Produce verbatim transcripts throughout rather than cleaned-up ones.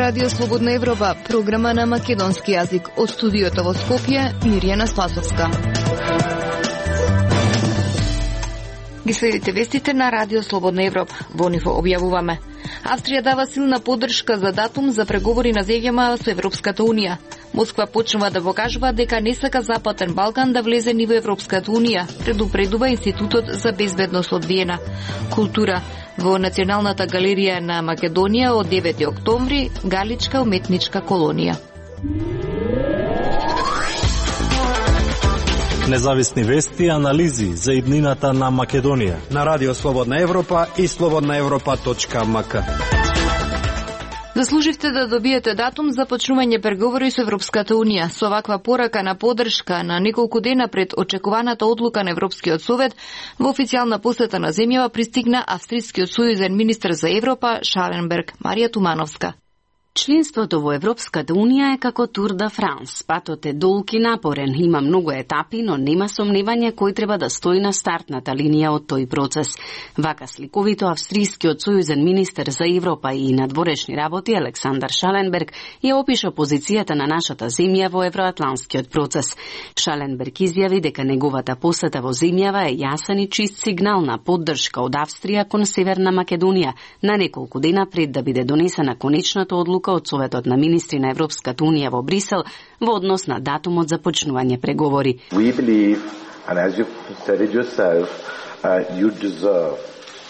Радио Слободна Европа, програма на македонски јазик. Од студиото во Скопје, Мирјана Спасовска. Ги следите вестите на Радио Слободна Европа. Во нив објавуваме: Австрија дава силна поддршка за датум за преговори на земјава со Европската Унија. Москва почнува да покажува дека не сака Западен Балкан да влезе ни во Европската Унија, предупредува Институтот за безбедност од Виена. Култура. Во Националната галерија на Македонија од девети октомври, Галичка уметничка колонија. Независни вести и анализи за иднината на Македонија на Радио Слободна Европа и слободна европа точка ем ка. Заслуживте да добиете датум за почнување преговори со Европската Унија. Со ваква порака на поддршка на неколку дена пред очекуваната одлука на Европскиот совет, во официјална посета на земјава пристигна австрискиот сојузен министер за Европа Шаленберг. Марија Тумановска. Членството во Европската Унија е како Тур де Франс. Патот е долг и напорен, има многу етапи, но нема сомневање кој треба да стои на стартната линија од тој процес. Вака сликовито австрискиот сојузен министер за Европа и надворешни работи Александар Шаленберг ја опиша позицијата на нашата земја во евроатланскиот процес. Шаленберг изјави дека неговата посета во земјава е јасен и чист сигнал на поддршка од Австрија кон Северна Македонија на неколку дена пред да биде донесена конечната одлука од Советот на министри на Европската Унија во Брисел во однос на датумот за почнување преговори. We believe, and as you said it yourself, uh, you deserve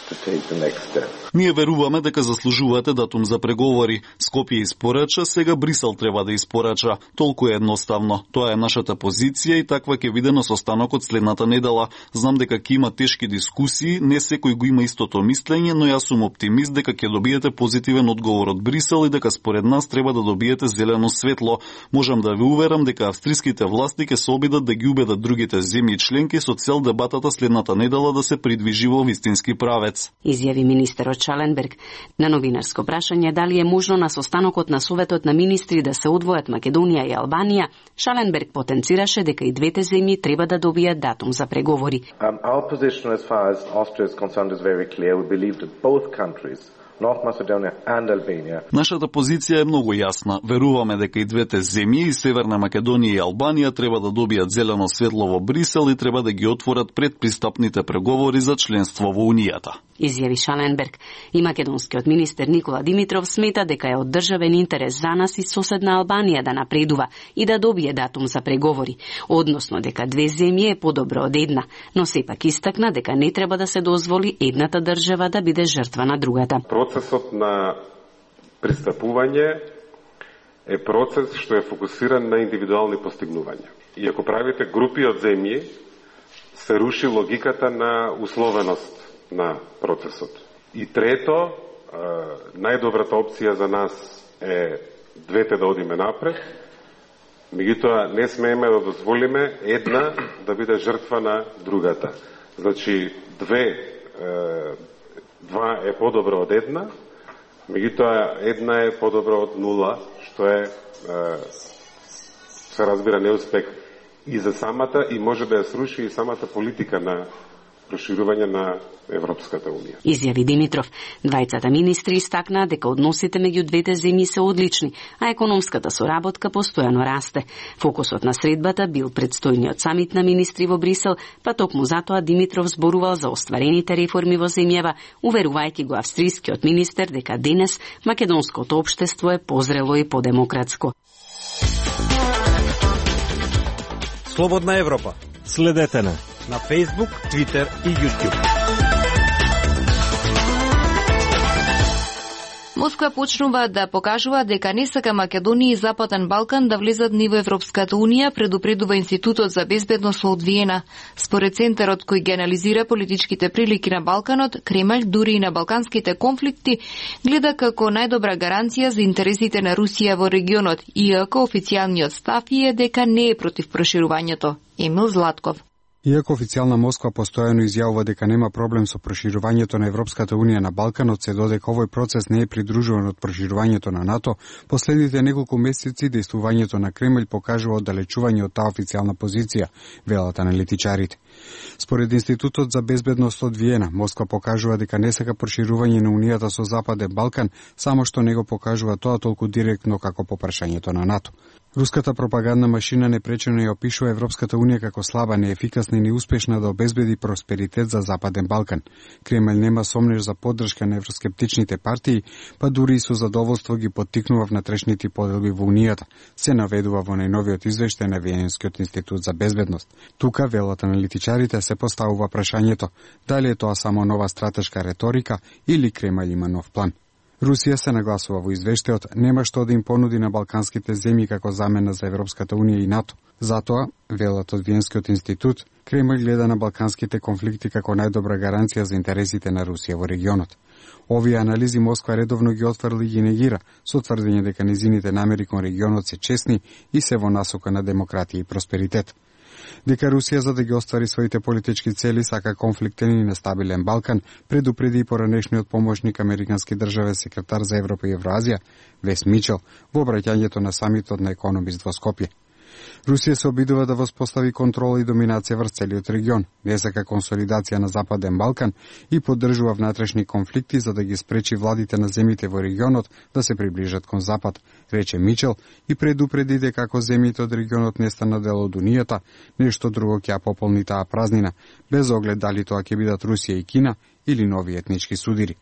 to take the next step. Ние веруваме дека заслужувате датум за преговори. Скопје испорача, сега Брисел треба да испорача. Толку е едноставно. Тоа е нашата позиција и таква ќе биде на состанокот следната недела. Знам дека ќе има тешки дискусии, не секој го има истото мислење, но јас сум оптимист дека ќе добиете позитивен одговор од Брисел и дека според нас треба да добиете зелено светло. Можам да ви уверам дека австриските власти ќе се обидат да ги убедат другите земји членки со цел дебатата следната недела да се придвижи во вистински правец. Изјави министерот Шаленберг. На новинарско прашање дали е можно на состанокот на Советот на министри да се одвојат Македонија и Албанија, Шаленберг потенцираше дека и двете земји треба да добијат датум за преговори. Um, our position as far as Austria is concerned is very clear. We believe that both countries, North Macedonia and Albania. Нашата позиција е многу јасна. Веруваме дека и двете земји, и Северна Македонија и Албанија, треба да добијат зелено светло во Брисел и треба да ги отворат предпристапните преговори за членство во Унијата. Изјави Шаленберг. И македонскиот министер Никола Димитров смета дека е од државен интерес за нас и соседна Албанија да напредува и да добие датум за преговори, односно дека две земји е подобро од една, но сепак истакна дека не треба да се дозволи едната држава да биде жртва на другата. Процесот на пристапување е процес што е фокусиран на индивидуални постигнувања. И ако правите групи од земји, се руши логиката на условеност на процесот. И трето, најдобрата опција за нас е двете да одиме напред, меѓутоа не смееме да дозволиме една да биде жртва на другата. Значи, две, два е подобро од една, меѓутоа една е подобро од нула, што е, се разбира, неуспех и за самата, и може да ја сруши и самата политика на проширување на Европската Унија. Изјави Димитров. Двајцата министри истакнаа дека односите меѓу двете земји се одлични, а економската соработка постојано расте. Фокусот на средбата бил предстојниот самит на министри во Брисел, па токму затоа Димитров зборувал за остварените реформи во земјава, уверувајќи го австрискиот министер дека денес македонското општество е позрело и подемократско. Слободна Европа. Следете на на Facebook, Twitter и YouTube. Москва почнува да покажува дека не сака Македонија и Западен Балкан да влезат ни во Европската Унија, предупредува Институтот за безбедност од Виена. Според центарот кој ги анализира политичките прилики на Балканот, Кремљ дури и на балканските конфликти гледа како најдобра гаранција за интересите на Русија во регионот, иако официјалниот став е дека не е против проширувањето. Емил Златков. Иако официјална Москва постојано изјавува дека нема проблем со проширувањето на Европската унија на Балканот, се додека овој процес не е придружуван од проширувањето на НАТО, последните неколку месеци дејствувањето на Кремљ покажува оддалечување од таа официјална позиција, велат аналитичарите. Според Институтот за безбедност од Виена, Москва покажува дека не сака проширување на Унијата со Западен Балкан, само што не го покажува тоа толку директно како по прашањето на НАТО. Руската пропагандна машина непречено ја опишува Европската унија како слаба, неефикасна и неуспешна да обезбеди просперитет за Западен Балкан. Кремљ нема сомнеш за поддршка на евроскептичните партии, па дури и со задоволство ги поттикнува внатрешните поделби во Унијата, се наведува во најновиот извештај на Виенскиот институт за безбедност. Тука, велат аналитичарите, се поставува прашањето дали е тоа само нова стратешка реторика или Кремљ има нов план. Русија, се нагласува во извештајот, нема што да им понуди на балканските земји како замена за Европската унија и НАТО. Затоа, велат од Виенскиот институт, Кремљ гледа на балканските конфликти како најдобра гаранција за интересите на Русија во регионот. Овие анализи Москва редовно ги отврли и ги негира, со тврдење дека низините намери кон регионот се честни и се во насока на демократија и просперитет. Дека Русија, за да ги оствари своите политички цели, сака конфликтен и нестабилен Балкан, предупреди и поранешниот помошник американски државен секретар за Европа и Евроазија, Вес Мичел, во обраќањето на самитот на Економист во Скопје. Русија се обидува да воспостави контрола и доминација врз целиот регион, не сака консолидација на Западен Балкан и поддржува внатрешни конфликти за да ги спречи владите на земјите во регионот да се приближат кон Запад, рече Мичел, и предупреди дека ако земјите од регионот не станат дел од Унијата, нешто друго ќе ја пополни таа празнина, без оглед дали тоа ќе бидат Русија и Кина или нови етнички судири.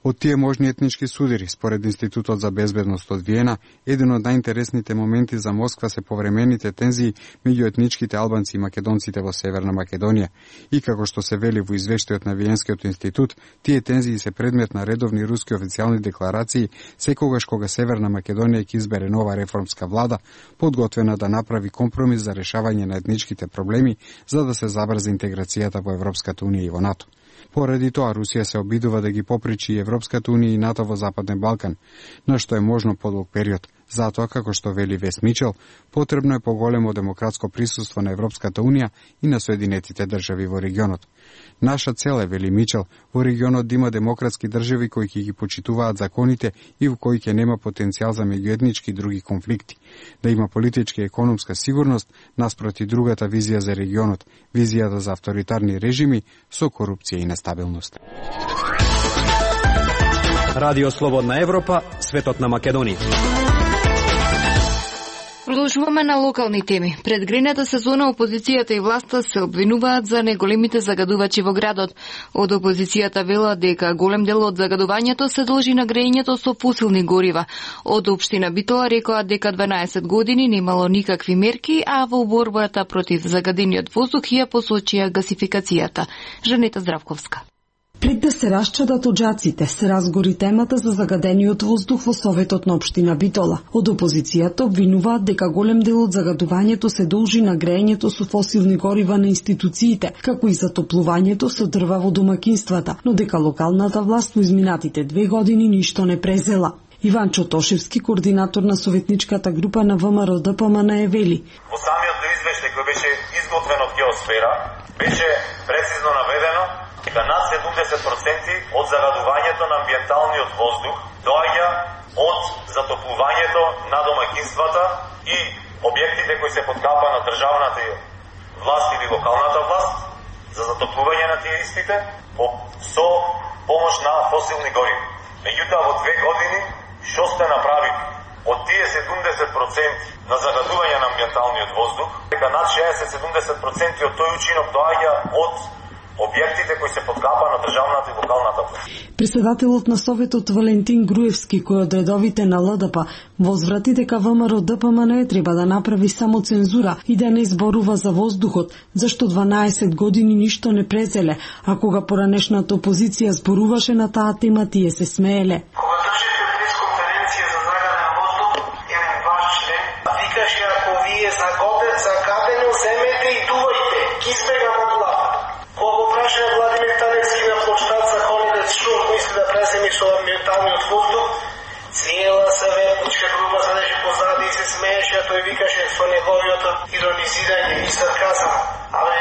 Од тие можни етнички судири, според Институтот за безбедност од Виена, еден од најинтересните моменти за Москва се повремените тензии меѓу етничките албанци и македонците во Северна Македонија. И како што се вели во извештајот на Виенскиот институт, тие тензии се предмет на редовни руски официјални декларации секогаш кога Северна Македонија ќе избере нова реформска влада, подготвена да направи компромис за решавање на етничките проблеми за да се забрзи интеграцијата во Европската унија и во НАТО. Поради тоа, Русија се обидува да ги попречи Европската унија и НАТО во Западен Балкан, на што е можно подолг период. Затоа, како што вели Вес Мичел, потребно е поголемо демократско присуство на Европската унија и на Соединетите држави во регионот. Наша цел е, вели Мичел, во регионот да има демократски држави кои ќе ги почитуваат законите и во кои ќе нема потенцијал за меѓуетнички и други конфликти. Да има политичка и економска сигурност наспроти другата визија за регионот, визијата за авторитарни режими со корупција и нестабилност. Радио Слободна Европа, светот на Македонија. Продолжуваме на локални теми. Пред грејната сезона опозицијата и власта се обвинуваат за неголемите загадувачи во градот. Од опозицијата велат дека голем дел од загадувањето се должи на грејењето со фосилни горива. Од општина Битола рекоа дека дванаесет години немало никакви мерки, а во борбата против загадениот воздух ја посочија гасификацијата. Жанета Здравковска. Пред да се расчадат оджаците, се разгори темата за загадениот воздух во Советот на општина Битола. Од опозицијата обвинуваат дека голем дел од загадувањето се должи на грејењето со фосилни горива на институциите, како и затоплувањето со дрва во домакинствата, но дека локалната власт во изминатите две години ништо не презела. Иван Чотошевски, координатор на советничката група на ВМРО Д П М Н, е вели: Во самиот извештај кој беше изготвен од Геосфера, беше прецизно наведено дека над седумдесет проценти од загадувањето на амбиенталниот воздух доаѓа од затоплувањето на домаќинствата и објектите кои се под капа на државната власт или локалната власт за затоплување на тие истите со помош на фосилни гориви. Меѓутоа, во две години што сте направили? Од тие седумдесет проценти на загадување на амбиенталниот воздух, дека над шеесет до седумдесет проценти од тој учинок доаѓа од објектите кои се подкапа на државната и локалната власт. Председателот на Советот Валентин Груевски, кој од редовите на Л Д П, возврати дека ВМРО Д П М Н треба да направи само цензура и да не зборува за воздухот, зашто дванаесет години ништо не презеле, а кога поранешната опозиција зборуваше на таа тема, тие се смееле. Кога држите пресконференција за загаден воздух, еден ваш член викаше: ако вие загаден, загадено земете и дувајте, ги избегам од власт. Кога праша Владимир Таневски на площад за Холидец шум, мисли да преземи со амбиенталниот воздух, цела съветничка група за нешто позади и се смееше, а тој викаше со неговиот иронизирање и сарказам. Абе,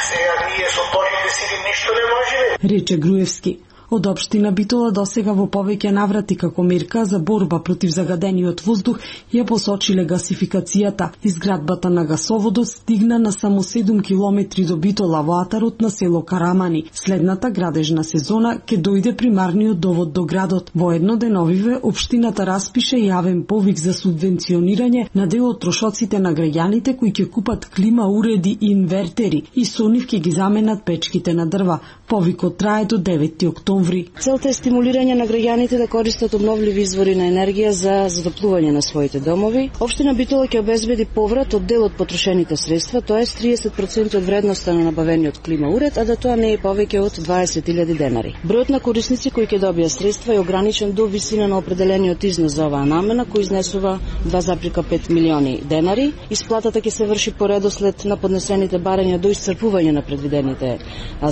сега ние со точните сили ништо не можеме. Рече Груевски. Од општина Битола досега во повеќе наврати како мерка за борба против загадениот воздух ја посочиле гасификацијата. Изградбата на гасоводот стигна на само седум километри до Битола во атарот на село Карамани. Следната градежна сезона ќе дојде примарниот довод до градот. Во едноденовиве општината распише јавен повик за субвенционирање на дел од трошоците на граѓаните кои ќе купат клима уреди и инвертери и со нив ќе ги заменат печките на дрва. Повикот трае до деветти октомври. Целта е стимулирање на граѓаните да користат обновливи извори на енергија за затоплување на своите домови. Општина Битола ќе обезбеди поврат од дел од потрошените средства, тоа е триесет проценти од вредноста на набавениот клима уред, а да тоа не е повеќе од дваесет илјади денари. Бројот на корисници кои ќе добијат средства е ограничен до висина на определениот износ за оваа намена, кој изнесува два зарез пет милиони денари. Исплатата ќе се врши по редослед на поднесените барања до исцрпување на предвидените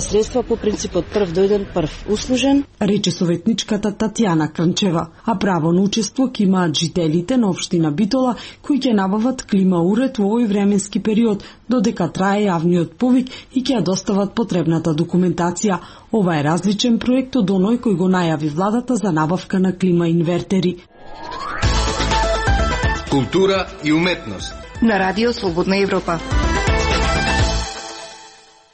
средства по принципот прв дојден прв услужен, рече советничката Татјана Крнчева, а право на учество ќе имаат жителите на општина Битола кои ќе набават клима уред во овој временски период додека трае јавниот повик и ќе ја достават потребната документација. Ова е различен проект од оној кој го најави владата за набавка на клима инвертери. Култура и уметност на Радио Слободна Европа.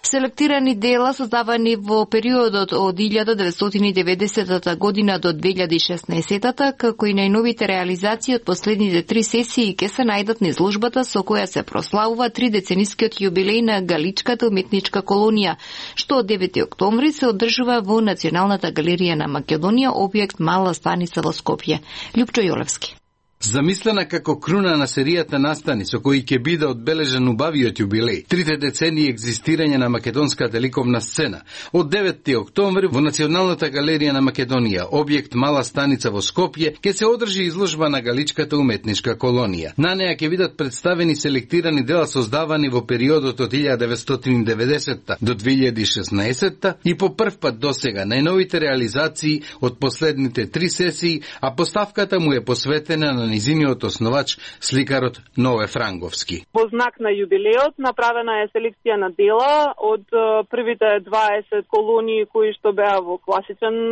Селектирани дела создавани во периодот од илјада деветстотини и деветдесетата година до две илјади и шеснаесетата, како и најновите реализации од последните три сесии ќе се најдат на изложбата со која се прославува тридеценискиот јубилеј на Галичката уметничка колонија, што од девети октомври се одржува во Националната галерија на Македонија, објект Мала станица во Скопје. Лјупчо Јолевски. Замислена како круна на серијата настани со кои ќе биде одбележен убавиот јубилеј, трите децении екзистирање на македонската ликовна сцена, од деветти октомври во Националната галерија на Македонија, објект Мала станица во Скопје, ќе се одржи изложба на Галичката уметничка колонија. На неа ќе бидат представени селектирани дела создавани во периодот од илјада деветстотини и деветдесетта до две илјади и шеснаесетта и по прв пат досега најновите реализации од последните три сесии, а поставката му е посветена на низиниот основач, сликарот Нове Франговски. Во знак на јубилеот направена е селекција на дела од првите дваесет колонии кои што беа во класичен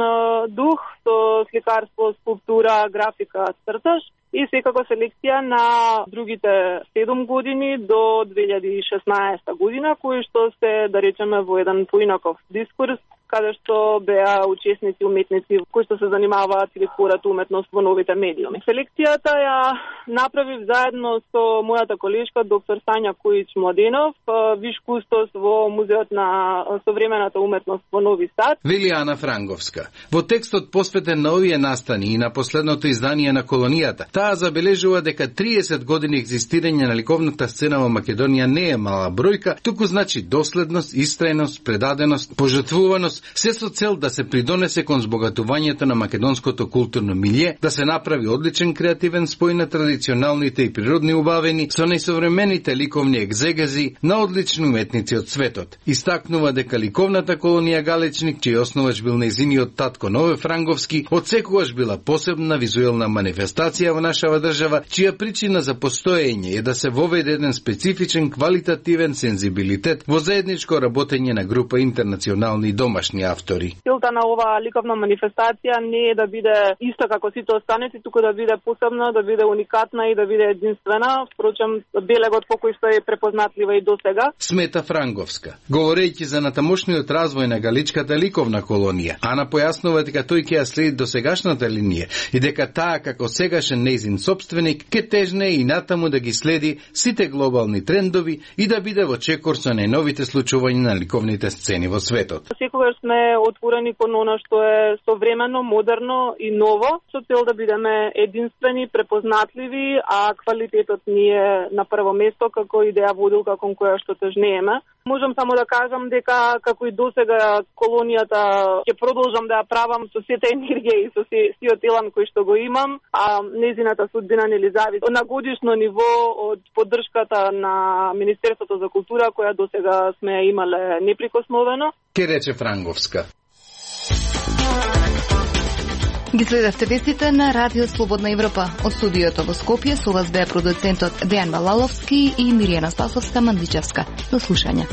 дух, со сликарство, скулптура, графика, цртаж, и секако селекција на другите седум години до две илјади и шеснаесета година, кои што се, да речеме, во еден поинаков дискурс, каде што беа учесници уметници кои што се занимаваат или творат уметност во новите медиуми. Селекцијата ја направив заедно со мојата колешка доктор Сања Којич-Младенов, виш кустос во Музеот на современата уметност во Нови Сад. Вели Ана Франговска. Во текстот посветен на овие настани и на последното издание на колонијата, таа забележува дека триесет години екзистирање на ликовната сцена во Македонија не е мала бројка, туку значи доследност, истрајност, предаденост, пожртвуваност, се со цел да се придонесе кон збогатувањето на македонското културно милје, да се направи одличен креативен спој на традиционалните и природни убавени со најсовремените ликовни екзегази на одлични уметници од светот. Истакнува дека ликовната колонија Галичник, чиј основач бил нејзиниот татко Нове Франговски, одсекогаш била посебна визуелна манифестација во нашава држава, чија причина за постоење е да се воведе еден специфичен квалитативен сензибилитет во заедничко работење на група интернационални и домашни автори. Целта на оваа ликовна манифестација не е да биде иста како сите останати, туку да биде посебна, да биде уникатна и да биде единствена. Впрочем, белегот по кој што е препознатлива и досега. Смета Франговска. Говорејќи за натамошниот развој на Галичката ликовна колонија, Ана појаснува дека тој ќе ја следи досегашната линија и дека таа како сегашен нејзин сопственик ќе тежне и натаму да ги следи сите глобални трендови и да биде во чекор со најновите случувања на ликовните сцени во светот. Секогаш сме отворени кон она што е современо, модерно и ново, со цел да бидеме единствени, препознатливи, а квалитетот ни е на прво место како идеја водилка кон која што тежнееме. Можам само да кажам дека како и досега колонијата ќе продолжам да ја правам со сета енергија и со сиот елан кој што го имам, а незината судбина нели зависи на годишно ниво од поддршката на Министерството за култура која досега сме имале неприкосновено. Ке рече Франговска. Ги следавте вестите на Радио Слободна Европа. Од студиото во Скопје со вас беа продуцентот Дејан Валаловски и Миријана Спасовска-Мандличевска. До слушање.